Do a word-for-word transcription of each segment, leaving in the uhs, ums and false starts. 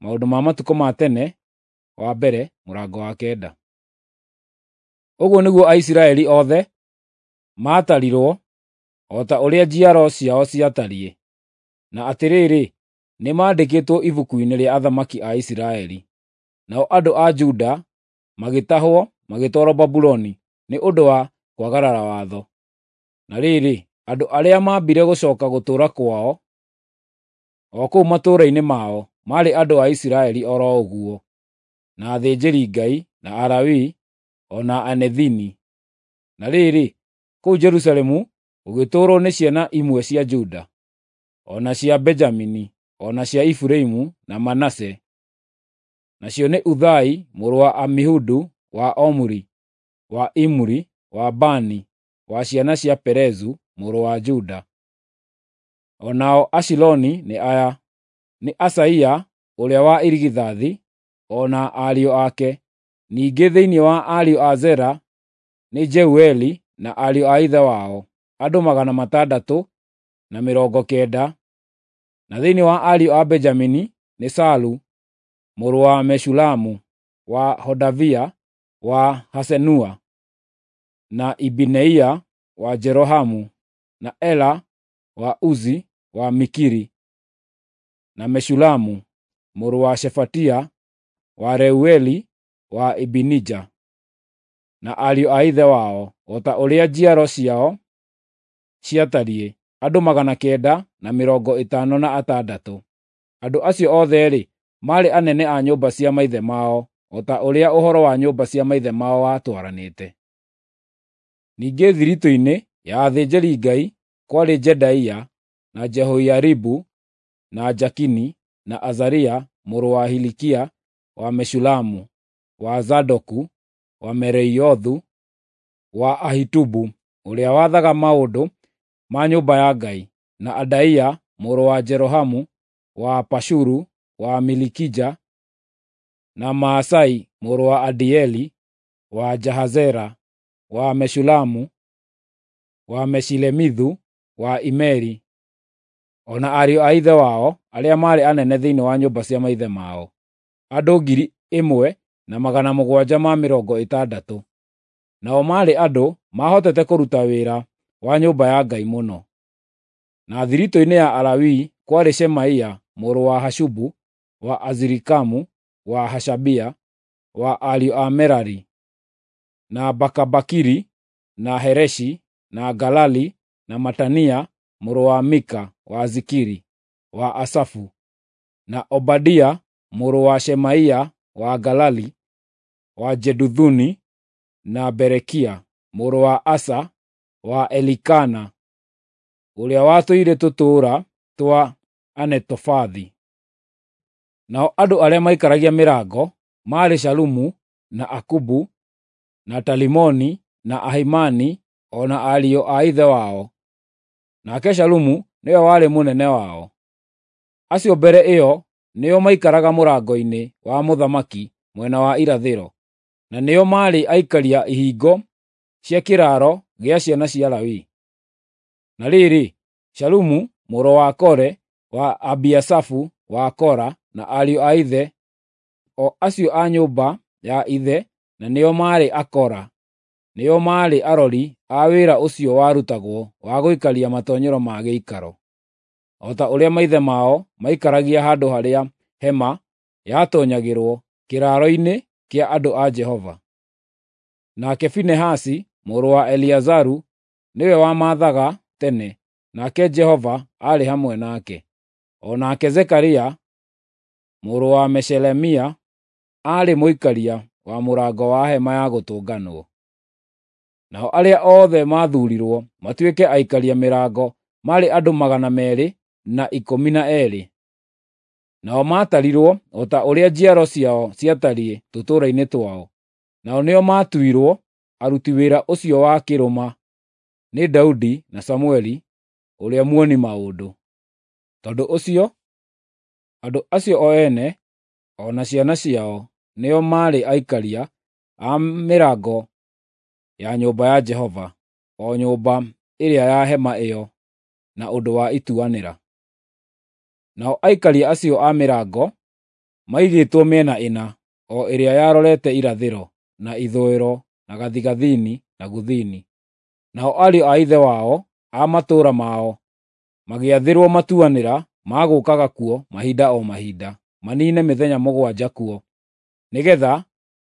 Maũndũ ma Matukũ ma Tene wa mbere mũrango wa kenda. Ũguo nĩguo Aisiraeli othe maatarirwo o ta ũrĩa njiaro ciao ciatariĩ. Na atĩrĩrĩ, nĩmandĩkĩtwo ibuku-inĩ rĩa athamaki a Isiraeli. Nao andũ a Juda magĩtahwo magĩtwarwo Babuloni nĩ ũndũ wa kwagarara watho. Na rĩrĩ, andũ arĩa maambire gũcooka gũtũũra kwao, o kũu matũũra-inĩ mao, maarĩ andũ a Isiraeli o ro ũguo, na athĩnjĩri-Ngai, na Alawii, o na Anethini. Na rĩrĩ, kũu Jerusalemu gũgĩtũũrwo nĩ ciana imwe cia Juda, o na cia Benjamini, o na cia Efiraimu na Manase. Nacio nĩ Uthai mũrũ wa Amihudu, wa Omuri, wa Imuri, wa Bani, wa ciana cia Perezu mũrũ wa Juda. O nao Ashiloni nĩ aya: nĩ Asaia ũrĩa wa irigithathi, o na ariũ ake. Ningĩ thĩinĩ wa ariũ a Zera nĩ Jeueli na ariũ a ithe wao, andũ magana matandatũ na mĩrongo kenda. Na thĩinĩ wa ariũ a Benjamini nĩ Salu mũrũ wa Meshulamu, wa Hodavia, wa Hasenua, na Ibineia wa Jerohamu, na Ela wa Uzi wa Mikiri, na Meshulamu mũrũ wa Shefatia, wa Reueli, wa Ibinija, na ariũ a ithe wao, o ta ũrĩa njiaro ciao ciatariĩ, andũ magana kenda na mĩrongo ĩtano na atandatũ. Andũ acio othe-rĩ, maarĩ anene a nyũmba cia maithe mao, o ta ũrĩa ũhoro wa nyũmba cia maithe mao watwaranĩte. Ningĩ thiritũ-inĩ ya athĩnjĩri-Ngai kwarĩ Jedaia, na Jehoiaribu, na Jakini, na Azaria mũrũ wa Hilikia, wa Meshulamu, wa Zadoku, wa Meraiothu, wa Ahitubu ũrĩa wathaga maũndũ ma nyũmba ya Ngai, na Adaia mũrũ wa Jerohamu, wa Pashuru, wa Milikija, na Maasai mũrũ wa Adieli, wa Jahazera, wa Meshulamu, wa Meshilemithu, wa Imeri, o na ariũ a ithe wao arĩa maarĩ anene thĩinĩ wa nyũmba cia maithe mao, andũ ngiri ĩmwe na magana mũgwanja ma mĩrongo ĩtandatũ. Nao maarĩ andũ maahotete kũruta wĩra wa nyũmba ya Ngai mũno. Na thiritũ-inĩ ya Alawii kwarĩ Shemaia mũrũ wa Hashubu, wa Azirikamu, wa Hashabia, wa ariũ a Merari, na Bakabakiri, na Hereshi, na Galali, na Matania mũrũ wa Mika wa Zikiri, wa Asafu, na Obadia mũrũ wa Shemaia wa Galali, wa Jeduthuni, na Berekia mũrũ wa Asa wa Elikana, ũrĩa watũire tũtũũra twa Anetofathi. Nao andũ arĩa maikaragia mĩrango maarĩ Shalumu, na Akubu, na Talimoni, na Ahimani, o na ariũ a ithe wao. Nake Shalumu nĩwe warĩ mũnene wao. Acio mbere ĩyo nĩo maikaraga mũrango-inĩ wa mũthamaki mwena wa irathĩro, na nĩo maarĩ aikaria ihingo cia kĩraaro gĩa ciana cia Lawi. Na rĩrĩ, Shalumu mũrũ wa Kore wa Abiasafu wa Kora na ariũ a ithe, o acio a nyũmba ya ithe na nĩo maarĩ Akora, nĩo maarĩ arori a wĩra ũcio warutagwo wa gũikaria matoonyero ma gĩikaro, o ta ũrĩa maithe mao maikaragia handũ harĩa hema yatoonyagĩrwo kĩraaro-inĩ kĩa andũ a Jehova. Nake Finehasi mũrũ wa Eliazaru nĩwe wamaathaga tene, nake Jehova aarĩ hamwe nake. O nake Zekaria mũrũ wa Meshelemia aarĩ mũikaria wa mũrango wa hema ya gũtũnganwo. Nao arĩa othe maathuurirwo matuĩke aikaria mĩrango maarĩ andũ magana meerĩ na ikũmi na eerĩ. Nao maatarirwo o ta ũrĩa njiaro ciao ciatariĩ tũtũũra-inĩ twao. Nao nĩo maatuirwo aruti wĩra ũcio wa kĩrũma nĩ Daudi na Samũeli ũrĩa muoni maũndũ. Tondũ ũcio, andũ acio o ene, o na ciana ciao, nĩo maarĩ aikaria a mĩrango ya nyũmba ya Jehova, o nyũmba ĩrĩa ya hema ĩyo, na ũndũ wa ituanĩra. Nao aikaria acio a mĩrango maigĩtwo mĩena ĩna, o ĩrĩa yarorete irathĩro, na ithũĩro, na gathigathini, na gũthini. Nao ariũ a ithe wao a matũũra mao magĩathĩrwo matuanĩra ma gũũkaga kuo mahinda o mahinda, maniine mĩthenya mũgwanja kuo, nĩgeetha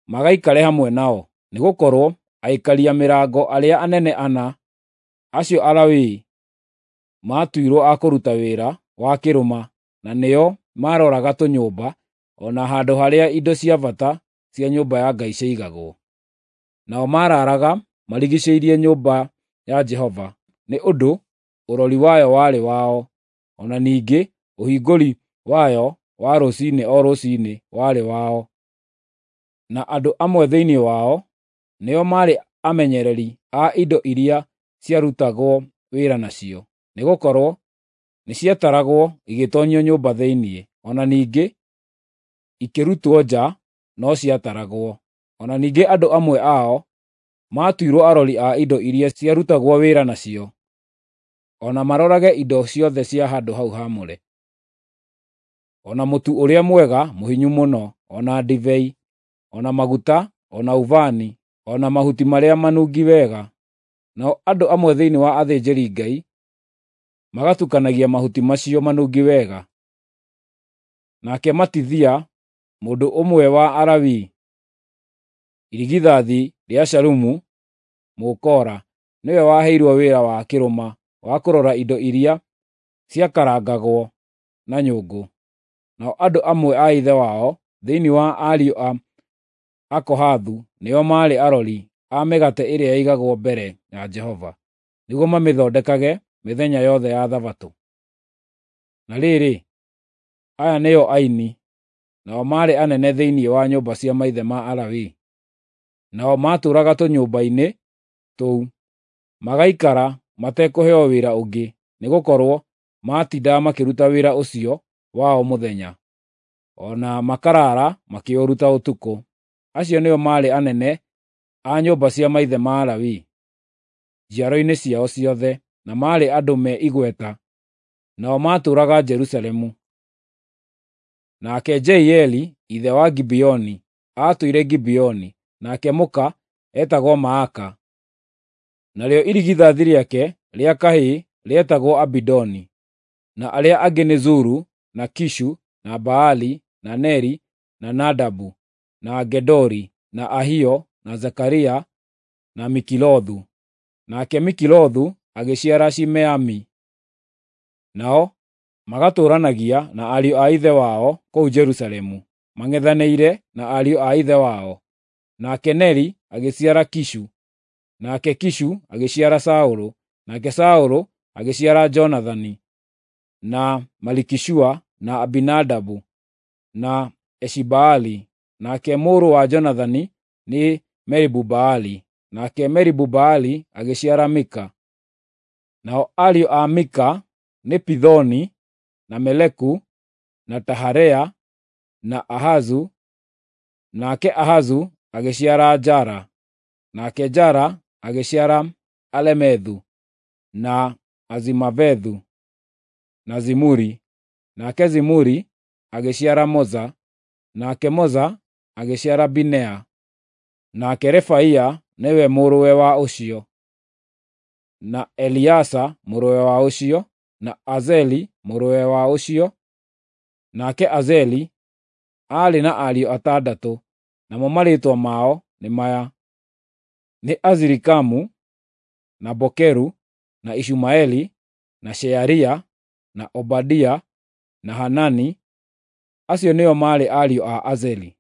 magaikare hamwe nao, nĩgũkorwo aikaria mĩrango arĩa anene ana, acio Alawii, maatuirwo a kũruta wĩra wa kĩrũma, na nĩo maaroraga tũnyũmba o na handũ harĩa indo cia bata cia nyũmba ya Ngai ciaigagwo. Nao maaraaraga marigiicĩirie nyũmba ya Jehova, nĩ ũndũ ũrori wayo warĩ wao, o na ningĩ ũhingũri wayo wa rũciinĩ o rũciinĩ warĩ wao. Na andũ amwe thĩinĩ wao nĩo maarĩ amenyereri a indo iria ciarutagwo wĩra nacio, nĩgũkorwo nĩciataragwo igĩtoonyio nyũmba thĩinĩ, o na ningĩ ikĩrutwo nja no ciataragwo. O na ningĩ andũ amwe ao maatuirwo arori a indo iria ciarutagwo wĩra nacio, o na marorage indo ciothe cia handũ hau haamũre, o na mũtu ũrĩa mwega mũhinyu mũno, o na ndibei, o na maguta, o na ũbani, o na mahuti marĩa manungi wega. Nao andũ amwe thĩinĩ wa athĩnjĩri-Ngai magatukanagia mahuti macio manungi wega. Nake Matithia, mũndũ ũmwe wa Alawii, irigithathi rĩa Shalumu Mũkora, nĩwe waheirwo wĩra wa kĩrũma wa kũrora indo iria ciakarangagwo na nyũngũ. Nao andũ amwe a ithe wao thĩinĩ wa ariũ a Akohathu nĩo maarĩ arori a mĩgate ĩrĩa yaigagwo mbere ya Jehova, nĩguo mamĩthondekage mĩthenya yothe ya Thabatũ. Na rĩrĩ, aya nĩo aini, nao maarĩ anene thĩinĩ wa nyũmba cia maithe ma Alawii. Nao maatũũraga tũnyũmba-inĩ tũu, magaikara matekũheo wĩra ũngĩ, nĩgũkorwo maatindaga makĩruta wĩra ũcio wao mũthenya, o na makaraara makĩũruta ũtukũ. Acio nĩo maarĩ anene a nyũmba cia maithe ma Alawii, njiaro-inĩ ciao ciothe, na maarĩ andũ me igweta, nao maatũũraga Jerusalemu. Nake Jeieli ithe wa Gibeoni aatũire Gibeoni, nake mũka eetagwo Maaka. Narĩo irigithathi rĩake rĩa kahĩĩ rĩetagwo Abidoni, na arĩa angĩ nĩ Zuru, na Kishu, na Baali, na Neri, na Nadabu, na Gedori, na Ahio, na Zekaria, na Mikilothu. Nake Mikilothu agĩciara Shimeami. Nao magatũũranagia na ariũ a ithe wao kũu Jerusalemu, mang'ethanĩire na ariũ a ithe wao. Nake Neri agĩciara Kishu, nake Kishu agĩciara Saũlũ, nake Saũlũ agĩciara Jonathani, na Malikishua, na Abinadabu, na Eshibaali. Nake mũrũ wa Jonathani nĩ Meribu-Baali, nake Meribu-Baali agĩciara Mika. Nao ariũ a Mika nĩ Pithoni, na Meleku, na Taharea, na Ahazu. Nake Ahazu agĩciara Jara, nake Jara agĩciara Alemethu, na Azimavethu, na Zimuri. Nake Zimuri agĩciara Moza, nake Moza agĩciara Binea. Nake Refaia nĩwe mũrũwe wa ũcio, na Eliasa mũrũwe wa ũcio, na Azeli mũrũwe wa ũcio. Nake Azeli aarĩ na ariũ atandatũ, namo marĩĩtwa mao nĩ maya: nĩ Azirikamu, na Bokeru, na Ishumaeli, na Shearia, na Obadia, na Hanani. Acio nĩo maarĩ ariũ a Azeli.